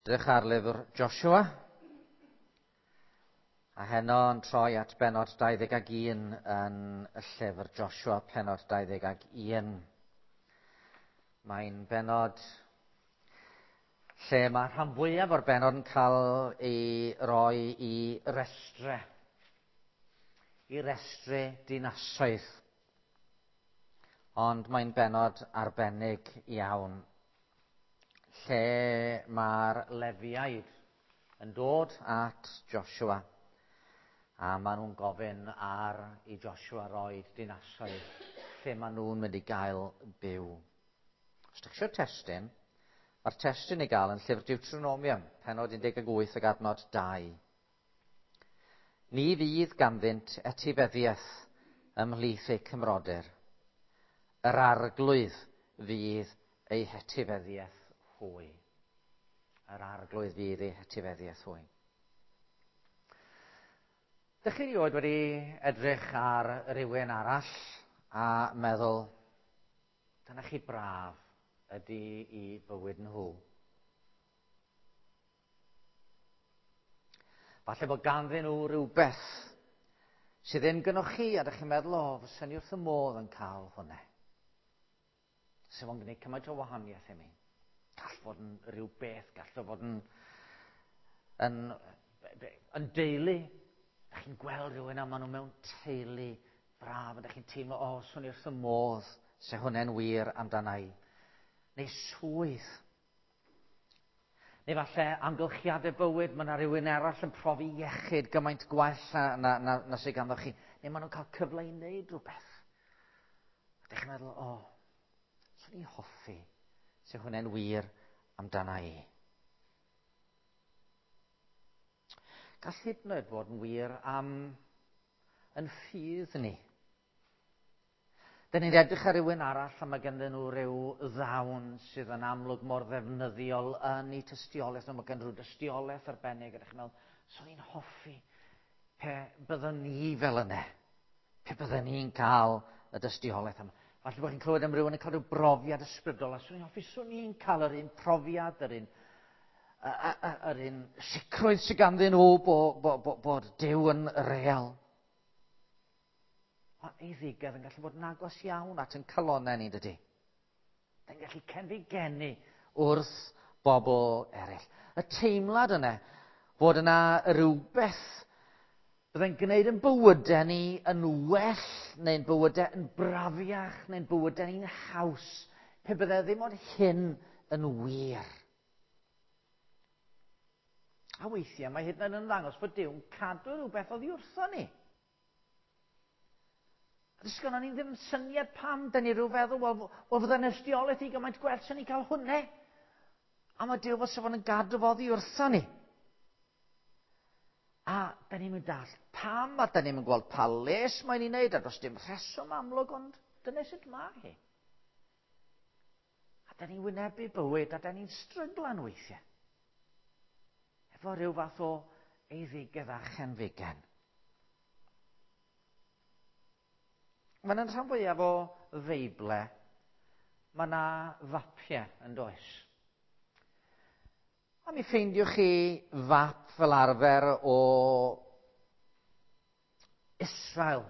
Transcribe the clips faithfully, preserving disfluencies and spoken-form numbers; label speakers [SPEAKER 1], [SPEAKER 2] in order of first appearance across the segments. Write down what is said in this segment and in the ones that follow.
[SPEAKER 1] Edrych ar lyfr Joshua, a heno yn troi at bennod dau ddeg ag un yn y llyfr Joshua, pennod dau ddeg ag un. Mae'n bennod lle mae rhan fwyaf o'r bennod yn cael ei roi i restre, i restre dinasoedd. Ond mae'n bennod arbennig iawn, lle mae'r Lefiaid yn dod at Joshua, a maen nhw'n gofyn ar i Joshua roi dinasoedd lle maen nhw'n mynd i gael byw. Os ydych chi eisiau testun, mae'r testun i gael yn llyfr Deuteronomium, pennod un deg wyth ac adnod dau. Ni fydd ganddynt etifeddiaeth ymhlith eu cymrodyr. Yr arglwydd fydd eu hetifeddiaeth hwy. Yr arglwydd fydd eu hetifeddiaeth hwy. Dych chi erioed wedi edrych ar rywun arall a meddwl, dyna chi braf ydy i bywyd nhw. Falle bod ganddyn nhw rhywbeth sydd ddim gynnoch chi, a dych chi'n meddwl, o, fyswn i wrth y modd yn cael hwnna. Sydd fo'n gwneud cymaint o wahaniaeth i mi. Gall fod yn rhyw beth, gall fod yn, yn, yn deulu. Dych chi'n gweld rhywun a maen nhw mewn teulu braf, a dych chi'n teimlo, o, swn i wrth y modd, se hwnna'n wir amdana i. Neu swydd. Neu falle amgylchiadau bywyd, mae yna rhywun arall yn profi iechyd gymaint gwell na, na, na, na sydd ganddo chi. Neu maen nhw'n cael cyfle i wneud rhywbeth. A dych chi'n meddwl, o, swn i'n hoffi se hwnna'n wir amdana i. Gall hyd yn oed fod yn wir am yn ffydd ni. Dyn ni'n edrych ar rywun arall a mae ganddyn nhw ryw ddawn sydd yn amlwg mor ddefnyddiol yn eu tystiolaeth, nhw, mae ganddyn nhw dystiolaeth arbennig, a dych chi'n meddwl, swn i'n hoffi pe byddwn ni fel yna, pe byddwn ni'n cael y dystiolaeth yma. Falle bod chi'n clywed am rywun yn cael rhyw brofiad ysbrydol, a swn i'n hoffi, swn i'n cael yr un profiad, yr un, yr un sicrwydd sydd ganddyn nhw bod, bo, bo, bod Duw yn real. Mae eiddigedd yn gallu bod yn agos iawn at yn calonnau ni, dydy. Yn gallu cenfigenu wrth bobl eraill. Y teimlad yna fod yna rhywbeth byddai'n gwneud yn bywydau ni yn well, neu'n bywydau yn brafiach, neu'n bywydau ni'n haws, pe byddai ddim ond hyn yn wir. A weithiau mae hyd yn oed yn ddangos bod Duw'n cadw rhywbeth oddi wrtho ni. Does gynnon ni ddim syniad pam, dyn ni rhyw feddwl, wel, wel fydda'n ystiolaeth i gymaint gwell sy'n ni cael hwnna. A mae Duw fod fo'n gadw fo oddi wrtho ni. A da ni'n mynd dall pam, a da ni'n mynd gweld pa les mae'n ei wneud, a does dim rheswm amlwg, ond dyna sut mae hi. A da ni'n wynebu bywyd, a da ni'n stryglan weithiau. Efo rhyw fath o eiddigedd a chenfigen. Mae'n rhan fwyaf o Feible, mae yna fapiau yn does. A mi ffeindiwch chi fap fel arfer o Israel,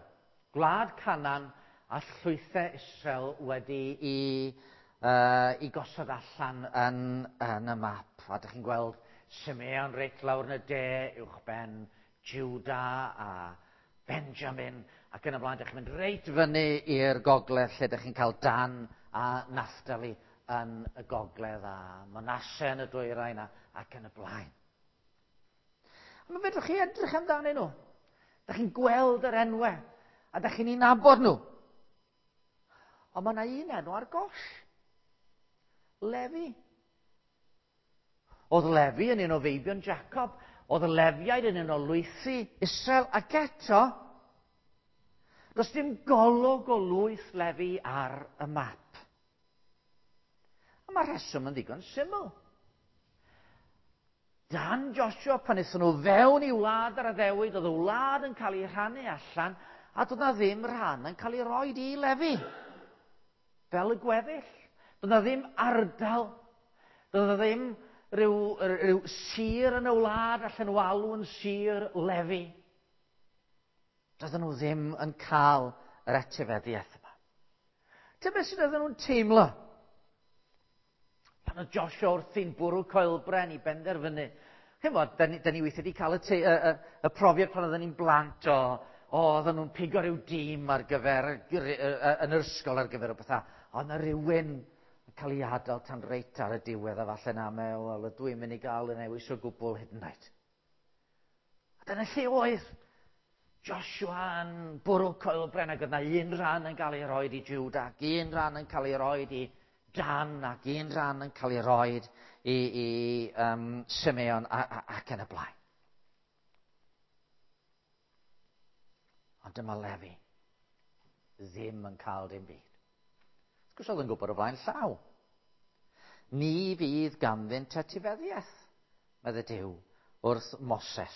[SPEAKER 1] gwlad Canaan a llwythau Israel wedi i, uh, i gosod allan yn, yn y map. A dych chi'n gweld Simeon reit lawr yn y de, uwchben Juda a Benjamin, ac yn y blaen, dych chi'n mynd reit fyny i'r gogledd lle dych chi'n cael Dan a Naphtali yn y gogledd a Manasseh yn y dwyrain a, ac yn y blaen. A mae fedrwch chi edrych amdanyn nhw. Dych chi'n gweld yr enwau a dych chi'n ei nabod nhw. Ond mae yna un enw ar goll. Lefi. Oedd Lefi yn un o feibion Jacob. Oedd y Lefiaid yn un o lwythi Israel, ac eto does dim golwg o lwyth Lefi ar y map. A mae'r rheswm yn ddigon syml. Dan Joshua, pan aethon nhw fewn i wlad yr addewid, oedd y wlad yn cael ei rhannu allan, a doedd na ddim rhan yn cael ei roed i Lefi. Fel y gweddill. Doedd na ddim ardal. Doedd na ddim rhyw, rhyw sir yn y wlad allan nhw alw yn sir Lefi? Doedden nhw ddim yn cael yr etifeddiaeth yma. Dyma beth sydd oedden nhw'n teimlo? Pan oedd Joshua wrthi'n bwrw coelbren i benderfynu. Chymod, da ni, da ni weithiau wedi cael y, te, y, y, y profiad pan oedden ni'n blant o, o oedden nhw'n pigo rhyw dîm ar gyfer, yn yr ysgol ar gyfer o bethau. Oedd yna rhywun yn cael ei adael tan reit ar y diwedd a falle na me, wel, ydw i'n mynd i gael y newis o gwbl hyd yn oed. A dyna lle oedd Joshua yn bwrw coelbren ac oedd yna un rhan yn cael ei roed i Juda, ac un rhan yn cael ei roed i Dan, ac un rhan yn cael ei roed i, i um, Simeon a, a, ac yn y blaen. Ond dyma Lefi ddim yn cael dim byd. Wrth gwrs oedd yn gwybod o flaen llaw. Ni fydd ganddynt etifeddiaeth, medde Duw, wrth Moses.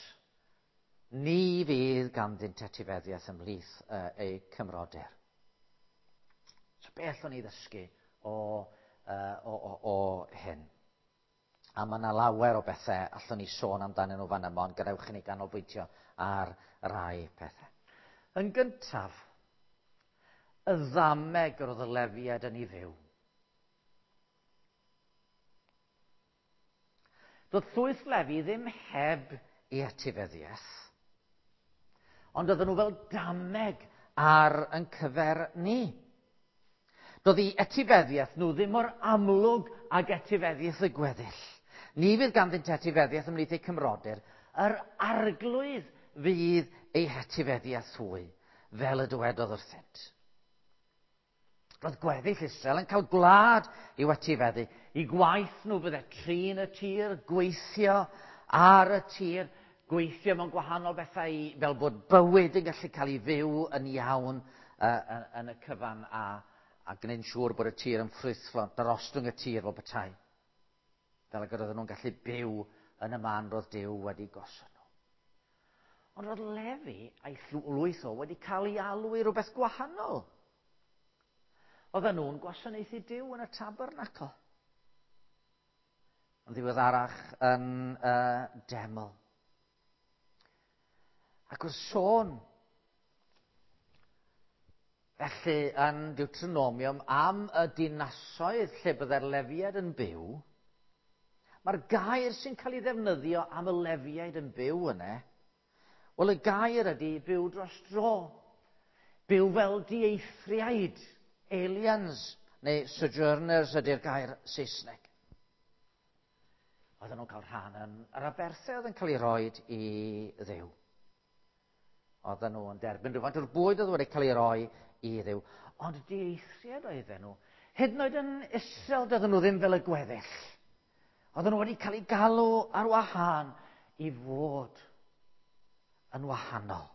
[SPEAKER 1] Ni fydd ganddynt etifeddiaeth ymhlith uh, eu cymrodyr. So beth o'n i ddysgu o, uh, o, o, o hyn? A mae yna lawer o bethau allwn ni sôn amdanyn nhw fan yma, ond gadewch i ni ganolbwyntio ar rai pethau. Yn gyntaf, y ddameg yr oedd y Lefiaid yn ei fyw. Doedd llwyth Lefi ddim heb ei etifeddiaeth, ond oedden nhw fel dameg ar yn cyfer ni. Doedd ei etifeddiaeth nhw ddim mor amlwg ag etifeddiaeth y gweddill. Ni fydd ganddynt etifeddiaeth ymhlith eu cymrodyr, yr arglwydd fydd eu hetifeddiaeth hwy, fel y dywedodd wrthynt. Roedd gweddill Israel yn cael gwlad i'w etifeddu. I gwaith nhw fydde trin y tir, gweithio ar y tir, gweithio mewn gwahanol bethau i, fel bod bywyd yn gallu cael ei fyw yn iawn uh, yn y cyfan a, a gwneud yn siŵr bod y tir yn ffrwythlon, darostwng y tir fel petai. Fel ag oedden nhw'n gallu byw yn y man roedd Duw wedi gosod nhw. Ond roedd Lefi a'i lwyth o wedi cael ei alw i rhywbeth gwahanol. Oedden nhw'n gwasanaethu Duw yn y tabernacl. Yn ddiweddarach yn uh, deml. Ac wrth sôn felly yn Deuteronomium am y dinasoedd lle byddai'r Lefiaid yn byw, mae'r gair sy'n cael ei ddefnyddio am y Lefiaid yn byw yna, wel y gair ydy byw dros dro. Byw fel dieithriaid, aliens, neu sojourners ydy'r gair Saesneg. Oedden nhw'n cael rhan yn yr aberthau oedd yn cael ei roed i Dduw. Oedden nhw yn derbyn rhywfaint o'r bwyd oedd wedi cael ei roi i Dduw. Ond dieithriaid oedden nhw. Hyd yn oed yn Israel doedden nhw ddim fel y gweddill. Oedden nhw wedi cael eu galw ar wahân i fod yn wahanol.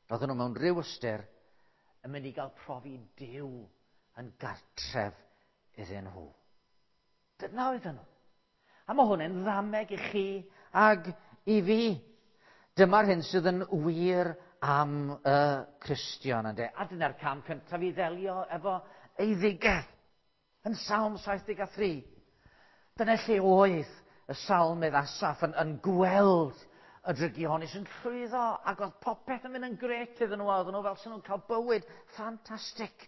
[SPEAKER 1] Oedden nhw mewn rhyw ystyr yn mynd i gael profi Duw yn gartref iddyn nhw. Dyna oedden nhw. A mae hwn yn ddameg i chi ag i fi. Dyma'r hyn sydd yn wir am y Cristion, ynde. A dyna'r cam cyntaf i ddelio efo eiddigedd yn Salm saith deg a thri. Dyna lle oedd y salmydd Asaph yn, yn gweld y drygionus yn llwyddo, ac oedd popeth yn mynd yn gret iddyn nhw, oedden nhw fel sy'n nhw'n cael bywyd ffantastig.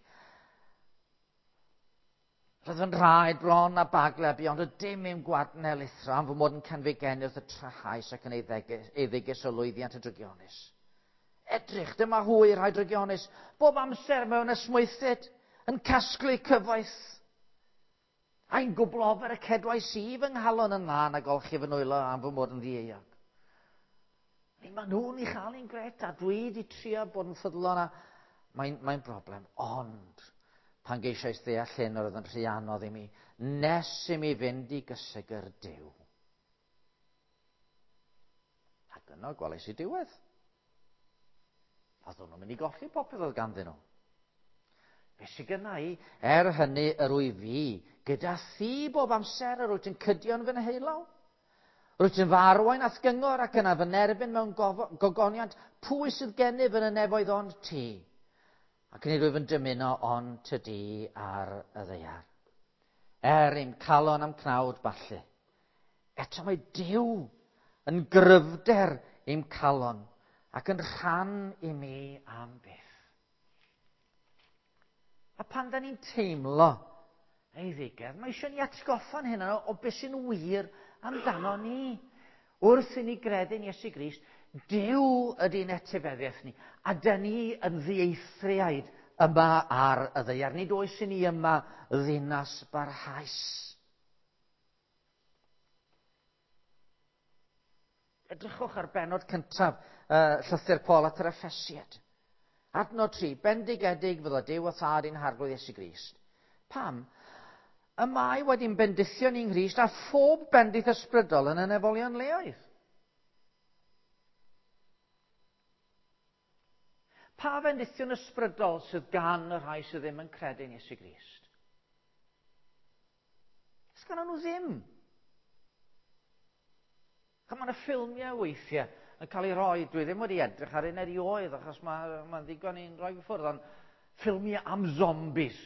[SPEAKER 1] Roedd yn rhaid bron a bagle ond y dim i'm gwadnel lithro am fy mod yn cenfigennu wrth y trahaus ac yn eiddigus o lwyddiant y drygionus. Edrych, dyma hwy rhai drygionus, bob amser mewn esmwythyd, yn casglu cyfoeth. A'n gwbl ofer y cedwais i fy nghalon yn lân a golchi fy nwylo am fy mod yn ddieuog. Mae nhw'n ei chael i'n gret a dwi wedi trio bod yn ffyddlon a mae'n mae broblem. Ond pan geisiais ddeall hyn oedd yn rhy anodd i mi, nes i mi fynd i gysegr Duw. Ac yno gwelais i diwedd. Oedden nhw'n mynd i golli popeth oedd ganddyn nhw. Be sydd gynna i? Er hynny yr wyf fi, gyda thi bob amser yr wyt yn cydio'n fy nheulaw. Rwyt yn fy arwain a'th gyngor ac yna fy nerbyn mewn gogoniant. Pwy sydd gennyf yn y nefoedd ond ti? Ac nid wyf yn dymuno ond tydi ar y ddaear. er i'm calon am cnawd ballu. Eto mae Duw yn gryfder i'm calon ac yn rhan i mi am byth. A pan da ni'n teimlo eiddigedd, mae eisiau ni atgoffa'n hynna o beth sy'n wir amdano ni. Wrth i ni gredu'n Iesu Grist, Duw ydy'n etifeddiaeth ni, a da ni yn ddieithriaid yma ar y ddaear. Nid oes i ni yma ddinas barhaus. Edrychwch ar bennod cyntaf uh, llythyr Paul at yr Effesiaid. Adnod tri, bendigedig fyddo Duw a Thad ein Harglwydd Iesu Grist. Pam? Y mae wedi'n bendithio ni'n Nghrist a phob bendith ysbrydol yn y nefolion leoedd. Pa fendithion ysbrydol sydd gan y rhai sydd ddim yn credu yn Iesu Grist? Does gan nhw ddim. Mae yna ffilmiau weithiau yn cael ei roi, dwi ddim wedi edrych ar un erioed achos mae'n ma ddigon i'n rhoi ffwrdd, ond ffilmiau am zombies.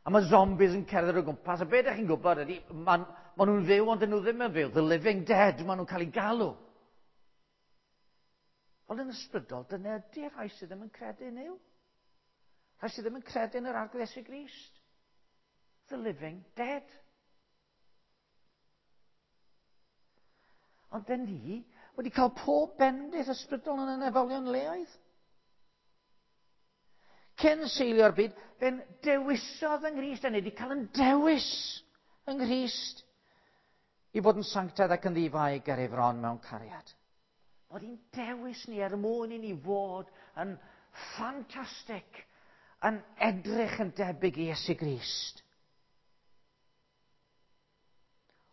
[SPEAKER 1] A mae zombies yn cerdded o gwmpas, a be ydych chi'n gwybod ydy, maen ma nhw'n fyw ond dyn nhw ddim yn fyw. The living dead, maen nhw'n cael eu galw. Ond yn ysbrydol, dyna ydy'r rhai sydd ddim yn credu yn Nuw. Rhai sydd ddim yn credu yn yr Arglwydd Iesu Grist. The living dead. Ond dyn ni wedi cael pob bendith ysbrydol yn y nefolion leoedd. Cyn seilio'r byd, fe'n dewisodd yng Nghrist, a ni wedi cael yn dewis yng Nghrist i fod yn sanctaidd ac yn ddifai ger ei fron mewn cariad. Bod hi'n dewis ni er mwyn i ni fod yn ffantastig, yn edrych yn debyg i Iesu Grist.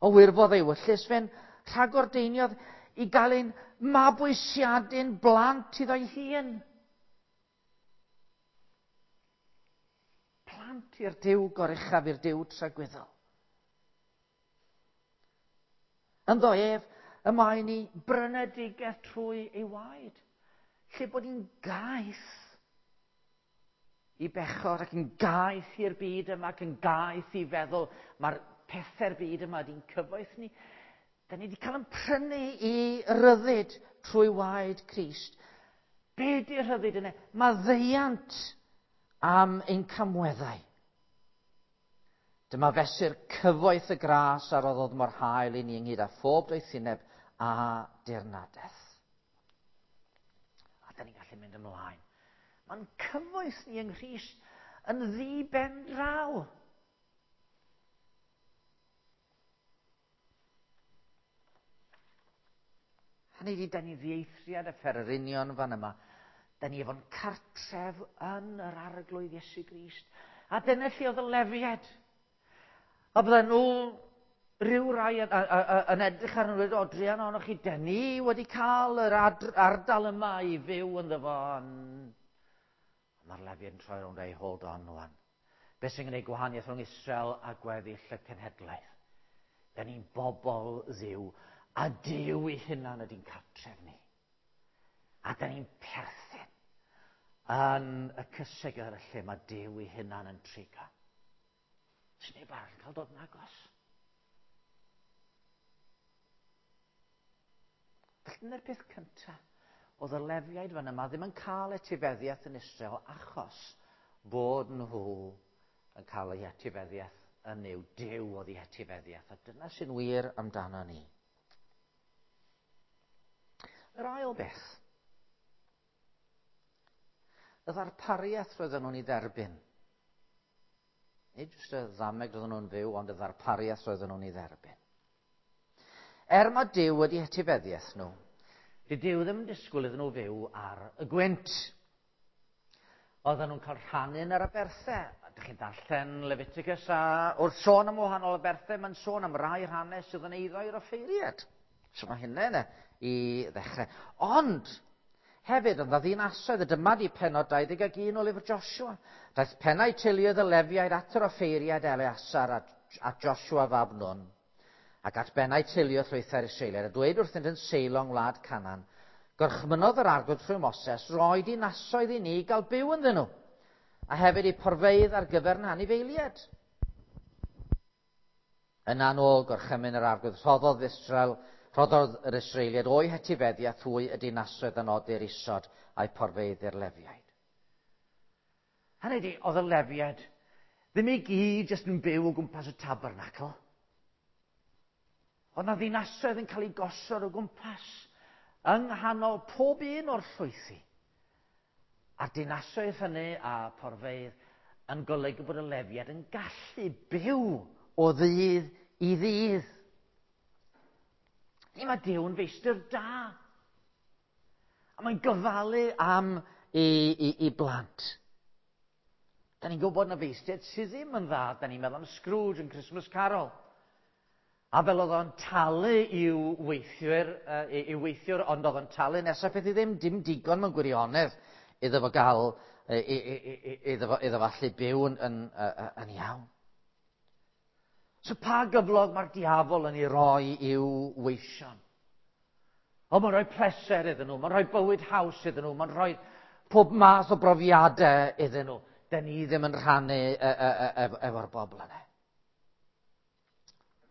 [SPEAKER 1] O wirfodd ei wyllys, fe'n rhagordeiniodd i gael ein mabwysiadu'n blant iddo'i hun. Plant i'r Duw goruchaf, i'r Duw tragwyddol. Ynddo ef, y mae ni brynedigaeth trwy ei waed. Lle bod ni'n gaeth i bechod ac yn gaeth i'r byd yma ac yn gaeth i feddwl mae'r pethau'r byd yma di'n cyfoeth ni. Da ni wedi cael yn prynu i ryddid trwy waed Crist. Be di'r rhyddid yna? Maddeuant am ein camweddau. Dyma fesur cyfoeth y gras a roddodd mor hael i ni ynghyd â phob doethineb a dirnadaeth. A da ni'n gallu mynd ymlaen. Mae'n cyfoeth ni yng Nghrist yn ddi-ben draw. Hynny ydi, da ni ddieithriad y fferyrinion fan yma. Da ni efo'n cartref yn yr Arglwydd Iesu Grist. A dyna lle oedd y Lefiaid. A bydden nhw rhyw rai yn, yn edrych arnyn nhw, o druan ohonoch chi, da ni wedi cael yr ardal yma i fyw ynddo fo. Mae'r Lefiaid yn troi rownd ei hold on wan. Be sy'n gwneud gwahaniaeth rhwng Israel a gweddill y cenhedlaeth? Da ni'n bobl Dduw, a Duw ei hunan ydy'n cartref ni. A da ni'n perthyn yn y cysegr y lle mae Duw ei hunan yn trigo. Sy'n neb arall yn cael dod yn agos. Felly dyna'r peth cyntaf. Oedd y Lefiaid fan yma ddim yn cael etifeddiaeth yn Israel achos bod nhw yn cael eu etifeddiaeth yn Nuw. Duw oedd eu etifeddiaeth. A dyna sy'n wir amdano ni. Yr ail beth, y ddarpariaeth roedden nhw'n ei dderbyn. Nid jyst y ddameg roedden nhw'n fyw, ond y ddarpariaeth roedden nhw'n ei dderbyn. Er mae Duw wedi etifeddiaeth nhw, di Duw ddim yn disgwyl iddyn nhw fyw ar y gwynt. Oedden nhw'n cael rhannu yn yr aberthau. Ydych chi'n darllen Leviticus a wrth sôn am wahanol aberthau, mae'n sôn am rai rhannau sydd yn eiddo i'r offeiriad. So mae hynny yna i ddechrau. Ond hefyd, oedd ddinasoedd, y dyma di pennod dau ddeg ac un o lyfr Joshua. Daeth pennau teuluoedd y Lefiaid at yr offeiriad Eleasar a, a Joshua fab Nun, ac at bennau teuluoedd llwythau'r Israeliaid, a dweud wrthynt yn Seilo yng ngwlad Canaan, gorchmynnodd yr Arglwydd trwy Moses roi dinasoedd i ni gael byw ynddyn nhw, a hefyd i porfeydd ar gyfer yn anifeiliaid. Yna nôl gorchymyn yr arglwydd, rhoddodd Israel, rhoddodd yr Israeliaid o'i hetifeddiaeth hwy y dinasoedd a nodir isod a'i porfeydd i'r Lefiaid. Hynny ydi, oedd y Lefiaid ddim i gyd jyst yn byw o gwmpas y tabernacl. Oedd na ddinasoedd yn cael eu gosod o gwmpas yng nghanol pob un o'r llwythi. A'r dinasoedd hynny a porfeydd yn golygu bod y Lefiaid yn gallu byw o ddydd i ddydd. Ni mae Duw yn feistr da. A mae'n gofalu am i, i, i blant. Da ni'n gwybod na feistriaid sydd ddim yn dda. Da ni'n meddwl am Scrooge yn Christmas Carol. A fel oedd o'n talu i'w weithwyr, uh, i'w weithiwr, ond oedd o'n talu nesaf peth i ddim, dim digon mewn gwirionedd iddo fo gael, iddo fo, iddo fo allu byw yn, yn, yn, yn iawn. So pa gyflog mae'r diafol yn ei roi i'w weision? O, mae'n rhoi pleser iddyn nhw, mae'n rhoi bywyd haws iddyn nhw, mae'n rhoi pob math o brofiadau iddyn nhw. Da ni ddim yn rhannu efo'r bobl yna.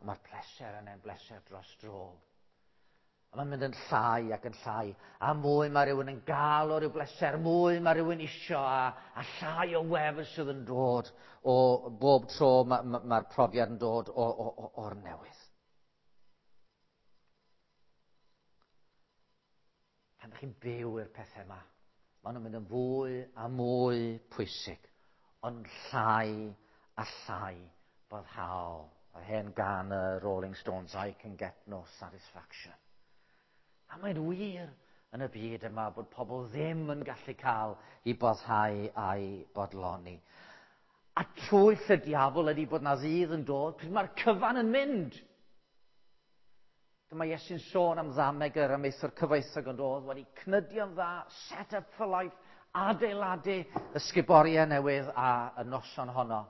[SPEAKER 1] Mae'r pleser yna'n bleser dros dro. A mae'n mynd yn llai ac yn llai. A mwy mae rhywun yn gael o ryw bleser, mwy mae rhywun isio, a, a llai o wefr sydd yn dod o bob tro mae'r ma, ma profiad yn dod o, o, o, o'r newydd. Pan ydych chi'n byw i'r pethau yma, maen nhw'n mynd yn fwy a mwy pwysig, ond llai a llai boddhaol. Yr hen gan y Rolling Stones, I can get no satisfaction. A mae'n wir yn y byd yma bod pobl ddim yn gallu cael i boddhau a'i bodloni. A twyll y diafol ydy bod na ddydd yn dod, pryd mae'r cyfan yn mynd. Dyma Iesu'n sôn am ddameg yr amaethwr cyfoethog yn dod, wedi cnydio'n dda, set up for life, adeiladu ysguboriau newydd a y noson honno.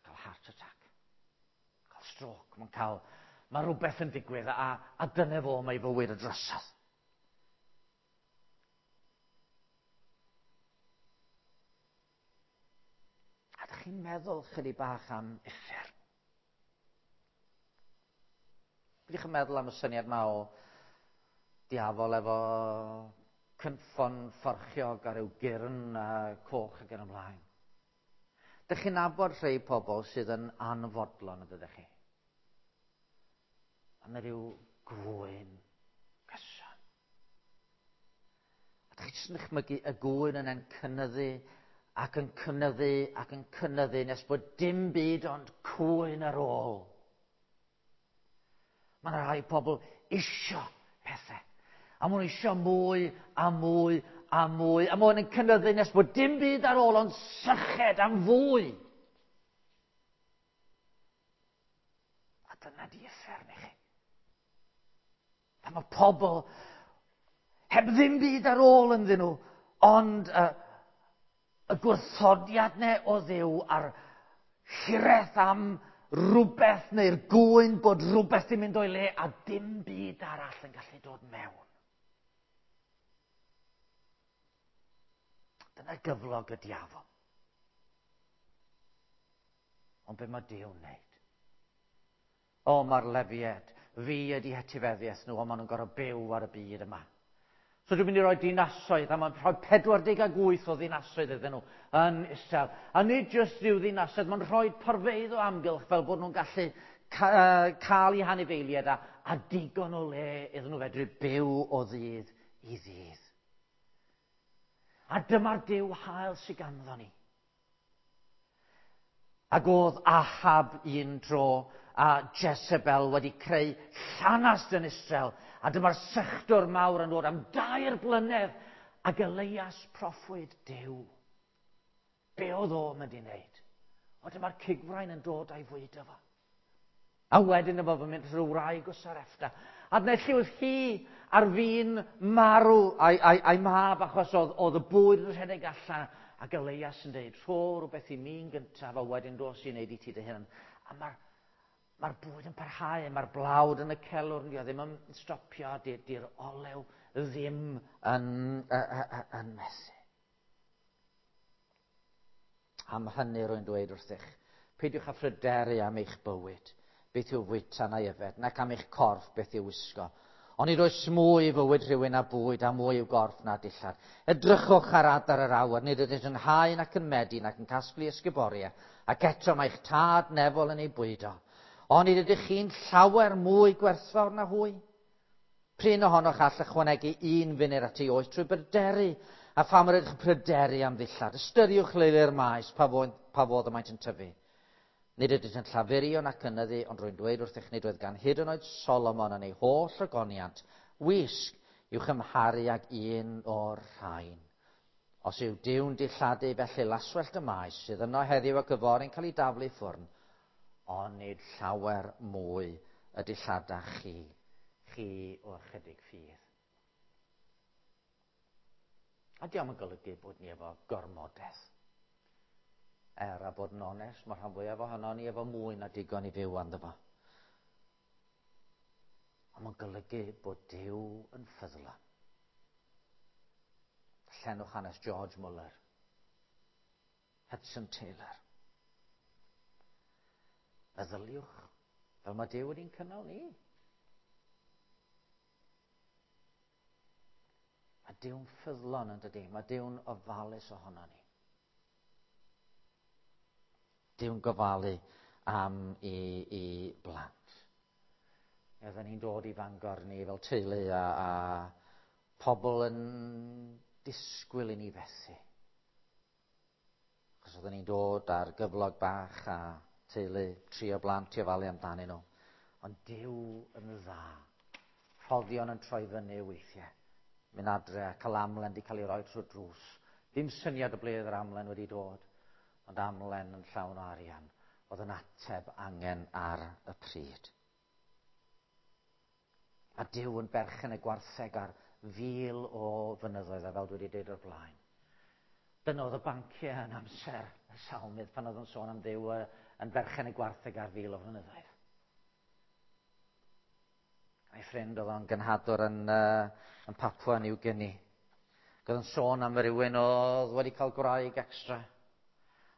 [SPEAKER 1] Cael heart attack, cael stroke, mae'n cael, mae rhywbeth yn digwydd a, a dyna fo mae fywyd y drosodd. A ydych chi'n meddwl chydig bach am uffern? Ydych chi'n meddwl am y syniad yma o diafol efo cynffon fforchiog a ryw gyrn a coch ac yn ymlaen? Ydych chi'n nabod rhai pobl sydd yn anfodlon, ydych chi? A mae rhyw gwyn gyson. A ydych chi jyst yn dychmygu y gwyn yna'n cynyddu ac yn cynyddu ac yn cynyddu nes bod dim byd ond cwyn ar ôl. Mae yna rhai pobl isio pethau. A maen nhw isio mwy a mwy a mwy. A maen nhw'n cynyddu nes bod dim byd ar ôl ond syched am fwy. A dyna di uffern i chi. Pan mae pobl heb ddim byd ar ôl ynddyn nhw, ond y, y gwrthodiad neu o Dduw a'r hiraeth am rhywbeth neu'r gwyn bod rhywbeth yn mynd o'i le a dim byd arall yn gallu dod mewn. Dyna gyflog y diafol. Ond be mae Duw'n wneud? O, mae'r Lefiaid, fi ydi hetifeddiaeth nhw, ond maen nhw'n gorfod byw ar y byd yma. So dwi'n mynd i roi dinasoedd, a mae'n rhoi pedwar deg wyth o ddinasoedd iddyn nhw yn Israel. A nid jyst rhyw ddinasoedd, mae'n rhoi porfeydd o amgylch fel bod nhw'n gallu ca cael eu hanifeiliaid a, a digon o le iddyn nhw fedru byw o ddydd i ddydd. A dyma'r Duw hael sydd ganddo ni. Ac oedd Ahab un tro a Jezebel wedi creu llanast yn Israel. A dyma'r sychdwr mawr yn dod am dair blynedd ac Elias proffwyd Duw. Be oedd o'n mynd i wneud? O, dyma'r cigfrain yn dod a'i fwydo fo. A wedyn yma fo'n mynd rhyw wraig o Sarepta. A dyna lle oedd hi ar fin marw a'i, a'i, a'i mab achos oedd, oedd y bwyd yn rhedeg allan. Ac Elias yn dweud, rho rhywbeth i mi'n gyntaf a wedyn dos i wneud i ti dy hunan. A mae'r mae'r bwyd yn parhau, mae'r blawd yn y celwr, dio ddim yn stopio, di'r olew ddim yn, yn methu. Am hynny rwy'n dweud wrthych, Peidiwch â phryderu am eich bywyd, beth yw fwyta neu yfed, nac am eich corff beth yw wisgo. Ond nid oes mwy i fywyd rhywun na bwyd a mwy i'w gorff na dillad. Edrychwch ar adar yr awyr, nid ydynt yn hau nac yn medi nac yn casglu ysguboriau, ac eto mae eich tad nefol yn ei bwydo. Ond nid ydych chi'n llawer mwy gwerthfawr na hwy. Prin ohonoch all ychwanegu un funud at ei oes trwy bryderu, a pham yr ydych yn pryderu am ddillad. Ystyriwch leili'r maes pa fodd, pa fodd y maent yn tyfu. Nid ydynt yn llafurio nac ynyddu, ond rwy'n dweud wrthych nid oedd gan hyd yn oed Solomon yn ei holl ogoniant wisg i'w chymharu ag un o'r rhain. Os yw Duw'n dilladu felly laswellt y maes sydd yno heddiw ac yfory'n cael ei daflu i ffwrn, ond nid llawer mwy y dilladach chi, chi o ychydig ffydd. A diolch yn golygu bod ni efo gormodedd. Er a bod yn onest, mae rhan fwyaf ohono ni efo mwy na digon i fyw anddo fo. Ond mae'n golygu bod Duw yn ffyddlon. Llenwch hanes George Muller, Hudson Taylor. Meddyliwch fel mae Duw wedi'n cynnal ni. Mae Duw'n ffyddlon yn dydi, mae Duw'n ofalus ohono ni. Duw'n gofalu am i, i blant. Oedden ni'n dod i Fangor ni fel teulu a, a pobl yn disgwyl i ni fethu. Achos oedden ni'n dod ar gyflog bach a teulu, tri o blant i ofalu amdanyn nhw. Ond Duw yn dda. Rhoddion yn troi fyny weithiau. Mynd adre a cael amlen wedi cael ei roi trwy'r drws. Dim syniad o ble oedd yr amlen wedi dod, ond amlen yn llawn o arian oedd yn ateb angen ar y pryd. A Duw yn berchen y gwartheg ar fil o fynyddoedd, a fel dwi wedi dweud o'r blaen. Dyna oedd y banciau yn amser y salmydd pan oedd yn sôn am Dduw yn berchen y gwartheg ar fil o fynyddoedd. Ei ffrind oedd o'n gynhadwr yn, uh, yn Papua New Guinea. Oedd yn sôn am rywun oedd wedi cael gwraig extra.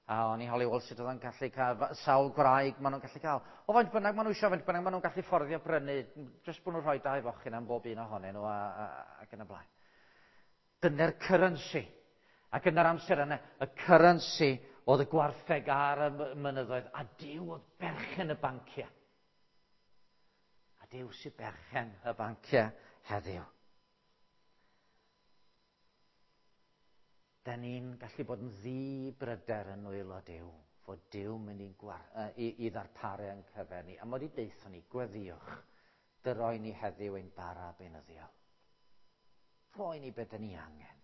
[SPEAKER 1] A o'n i holi, wel, sut oedd o'n gallu cael, sawl gwraig maen nhw'n gallu cael. O, faint bynnag maen nhw eisiau, faint bynnag maen nhw'n gallu fforddio brynu, jyst bod nhw'n rhoi dau fochyn am bob un ohonyn nhw a, a, ac yn y blaen. Dyna'r currency. Ac yn yr amser yna, y currency oedd y gwartheg ar y mynyddoedd, a Duw oedd berchen y banciau. A Duw sydd berchen y banciau heddiw. Da ni'n gallu bod yn ddi-bryder yn nwylo Duw, fod Duw mynd i'n gwar, i, i ddarparu yn cyfer ni. A mod i deithio ni, gweddïwch, dyroi ni heddiw ein bara beunyddiol. Rhoi ni beth ni angen.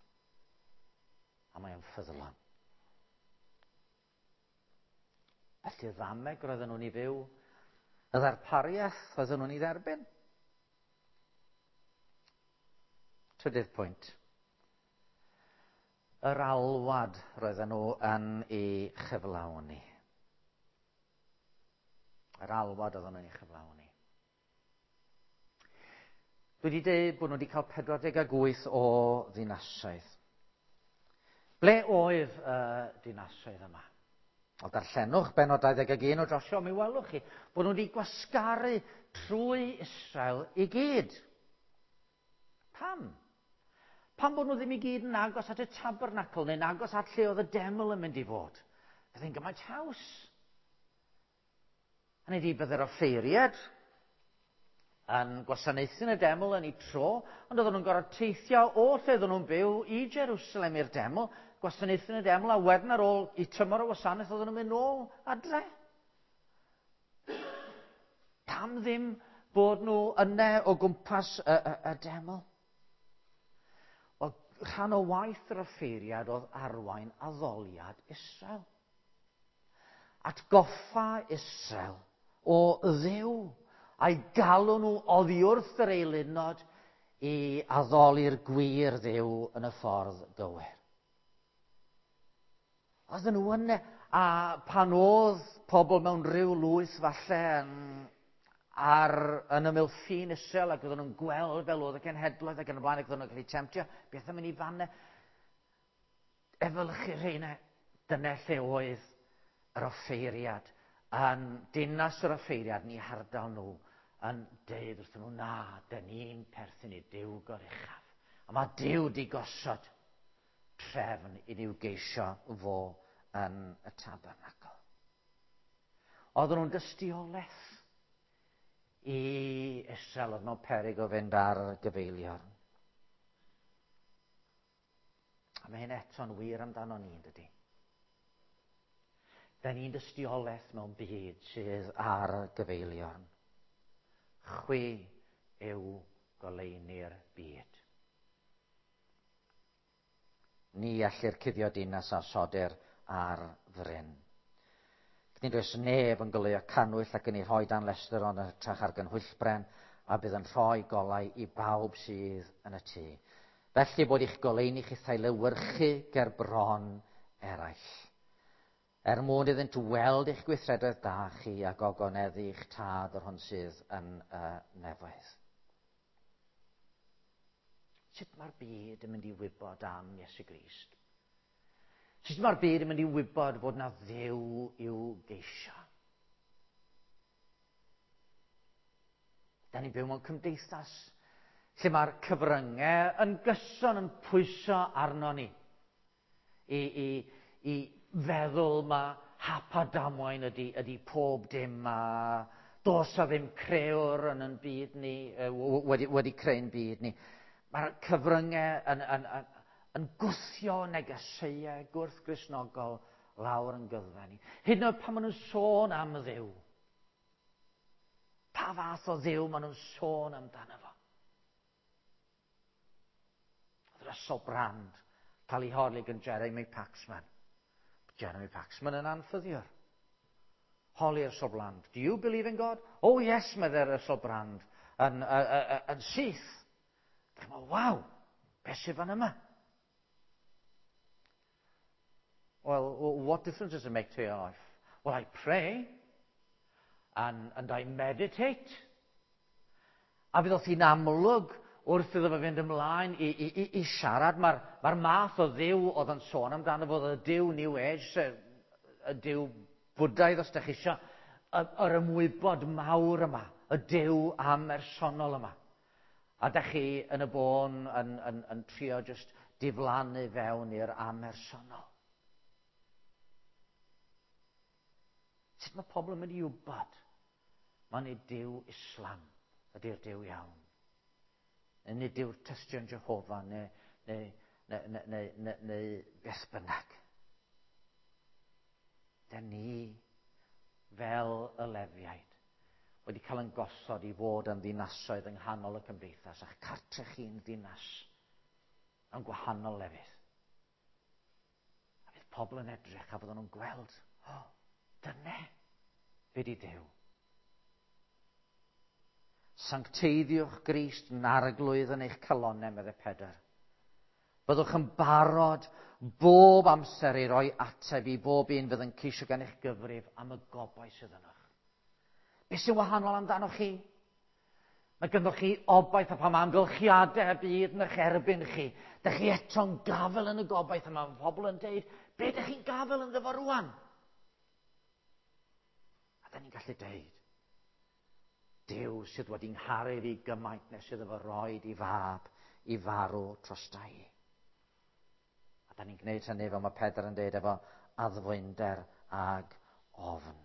[SPEAKER 1] A mae o'n ffyddlon. Felly y ddameg roedden nhw'n ei fyw, y ddarpariaeth roedden nhw'n ei dderbyn. Trydydd pwynt. Yr alwad roedden nhw yn ei chyflawni. Yr alwad oedden nhw'n ei chyflawni. Dwi wedi dweud bod nhw wedi cael pedwar deg wyth o ddinasoedd. Ble oedd y dinasoedd yma? O darllenwch bennod dau ddeg un o Josua, mi welwch chi bod nhw wedi gwasgaru trwy Israel i gyd. Pam? Pam bod nhw ddim i gyd yn agos at y tabernacl neu'n agos at lle oedd y deml yn mynd i fod? Byddai'n gymaint haws. Hynny ydi, byddai'r offeiriad yn gwasanaethu yn y deml yn ei tro, ond oedden nhw'n gorfod teithio o lle oedden nhw'n byw i Jerusalem i'r deml, gwasanaethu yn y deml, a wedyn ar ôl i tymor o wasanaeth oedden nhw'n mynd nôl adre. Pam ddim bod nhw yna o gwmpas y, y, y deml? Wel, rhan o waith yr offeiriad oedd arwain addoliad Israel. Atgoffa Israel o Dduw a'i galw nhw oddi wrth yr eilunod i addoli'r gwir Dduw yn y ffordd gywir. Oedden nhw yna, a pan oedd pobl mewn rhyw lwyth falle yn, ar, yn ymyl ffin Israel, ac oedden nhw'n gweld fel oedd y cenhedloedd ac yn y blaen, ac oedden nhw'n cael eu temtio, beth am mynd i fanna? Efelychu rheina, dyna lle oedd yr offeiriad yn dinas yr offeiriad yn eu hardal nhw yn deud wrthyn nhw, na, dyn ni'n perthyn i Duw goruchaf. A mae Duw di gosod trefn i ni'w geisio fo yn y tabernacl. Oedden nhw'n dystiolaeth i Israel oedd mewn peryg o fynd ar gyfeiliorn. A mae hyn eto'n wir amdano ni, yn dydi? Da ni'n dystiolaeth mewn byd sydd ar gyfeiliorn. Chwi yw goleuni'r byd. Ni allir cuddio dinas a sodir ar fryn. Nid oes neb yn goleuo cannwyll ac yn ei rhoi dan lestr ond yn hytrach ar gynhwyllbren, a bydd yn rhoi golau i bawb sydd yn y tŷ. Felly bod eich goleuni chithau lewyrchu ger bron eraill. Er mwyn iddynt weld eich gweithredoedd da chi a gogoneddu eich tad yr hwn sydd yn y nefoedd. Sut mae'r byd yn mynd i wybod am Iesu Grist? Sut mae'r byd yn mynd i wybod bod na Dduw i'w geisio? Da ni'n byw mewn cymdeithas lle mae'r cyfryngau yn gyson yn pwyso arno ni i, i, i feddwl mae hap a damwain ydy, ydy pob dim a does a ddim crëwr yn yn byd ni, wedi, wedi creu'n byd ni. Mae'r cyfryngau yn, yn, yn, yn gwthio negeseuau gwrth-Gristnogol lawr yn gyddfe ni. Hyd yn oed pan maen nhw'n sôn am Dduw. Pa fath o Dduw maen nhw'n sôn amdano fo? Oedd Russell Brand cael ei holi gan Jeremy Paxman. Jeremy Paxman yn anffyddiwr. Holi Russell Brand. Do you believe in God? Oh yes, meddai Russell Brand yn, yn, yn, yn syth. Dyma, waw, beth sydd fan yma? Well, what difference does it make to your life? Well, I pray and, and I meditate. A fydd hi'n amlwg wrth iddo fe fynd ymlaen i, i, i, i siarad, mae'r mae math o Dduw oedd yn sôn amdano fo, y Duw New Age, y Duw Bwdaidd os ydych chi eisiau, yr ymwybod mawr yma, y Duw amersonol yma. A dych chi yn y bôn yn, yn, yn trio just diflannu fewn i'r amersonol. Sut mae pobl yn mynd i wybod? Mae'n nid Duw Islam ydy'r Duw iawn. Neu nid yw'r tystion Jehofa neu, neu, neu, neu, neu, neu, neu beth bynnag. Da ni, fel y Lefiaid, wedi cael yn gosod i fod yn ddinasoedd yng nghanol y cymdeithas, a'ch cartre chi'n ddinas yn gwahanol lefydd. A fydd pobl yn edrych a fydden nhw'n gweld, oh, dyne, be di Duw. Sancteiddiwch Grist yn arglwydd yn eich calonnau, meddai Pedr. Byddwch yn barod bob amser i roi ateb i bob un fydd yn ceisio gan eich gyfrif am y gobaith sydd ynoch. Be sy'n wahanol amdano chi? Mae ganddoch chi obaith a pam amgylchiadau y byd yn eich erbyn chi. Dych chi eto'n gafel yn y gobaith yma. Mae pobl yn deud, be dych chi'n gafel ynddo fo rwan? A da ni'n gallu deud, Duw sydd wedi ngharu fi gymaint nes iddo fo roed i fab i farw drosta i. A da ni'n gwneud hynny fel mae Pedr yn deud efo addfwynder ag ofn.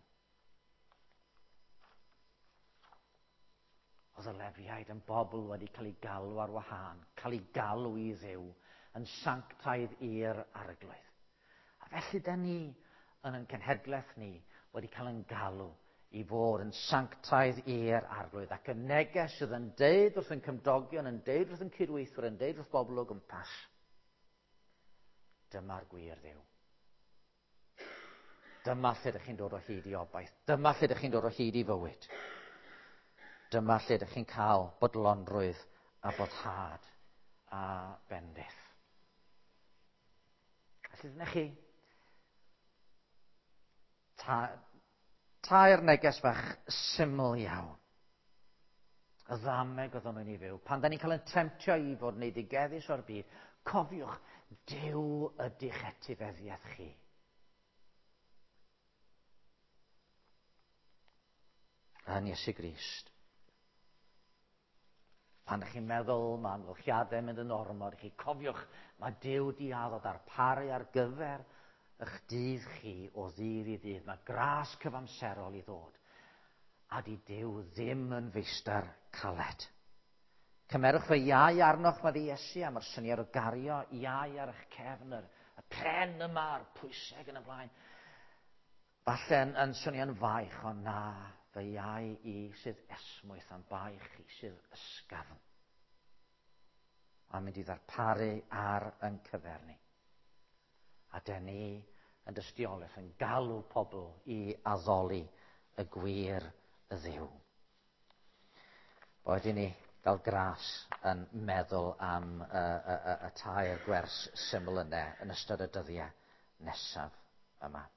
[SPEAKER 1] Oedd y Lefiaid yn bobl wedi cael ei galw ar wahân, cael ei galw i Dduw, yn sanctaidd i'r arglwydd. A felly da ni yn ein cenhedlaeth ni wedi cael ein galw i fod yn sanctaidd i'r arglwydd. Ac y neges sydd yn deud wrth yn cymdogion, yn deud wrth yn cydweithwyr, yn deud wrth bobl o gwmpas, dyma'r gwir Dduw. Dyma lle ydych chi'n dod o hyd i obaith. Dyma lle ydych chi'n dod o hyd i fywyd. Dyma lle ydych chi'n cael bodlonrwydd a boddhad a bendith. Felly dyna chi ta, tair neges fach syml iawn. Y ddameg oedd nhw'n ei fyw. Pan da ni'n cael ein temtio i fod yn eiddigeddus o'r byd, cofiwch, Duw ydy'ch etifeddiaeth chi. yn Iesu Grist. Pan ydych chi'n meddwl mae amgylchiadau mynd yn ormod, chi cofiwch mae Duw di addo darparu ar gyfer eich dydd chi o ddydd i ddydd. Mae gras cyfamserol i ddod. A di Duw ddim yn feistr caled. Cymerwch fy iau arnoch, mae Iesu, a mae'r syniad o gario iau ar eich cefn, yr, y pren yma, a'r pwyseg yn y blaen. Falle yn, yn swnio'n faich, ond na, fy iau i sydd esmwyth am baich i sydd ysgafn. A mynd i ddarparu ar yn cyfer ni. A dyn ni yn dystiolaeth yn galw pobl i addoli y gwir y Dduw. Boed i ni gael gras yn meddwl am y, y, y, y tair gwers syml yna yn ystod y dyddiau nesaf yma.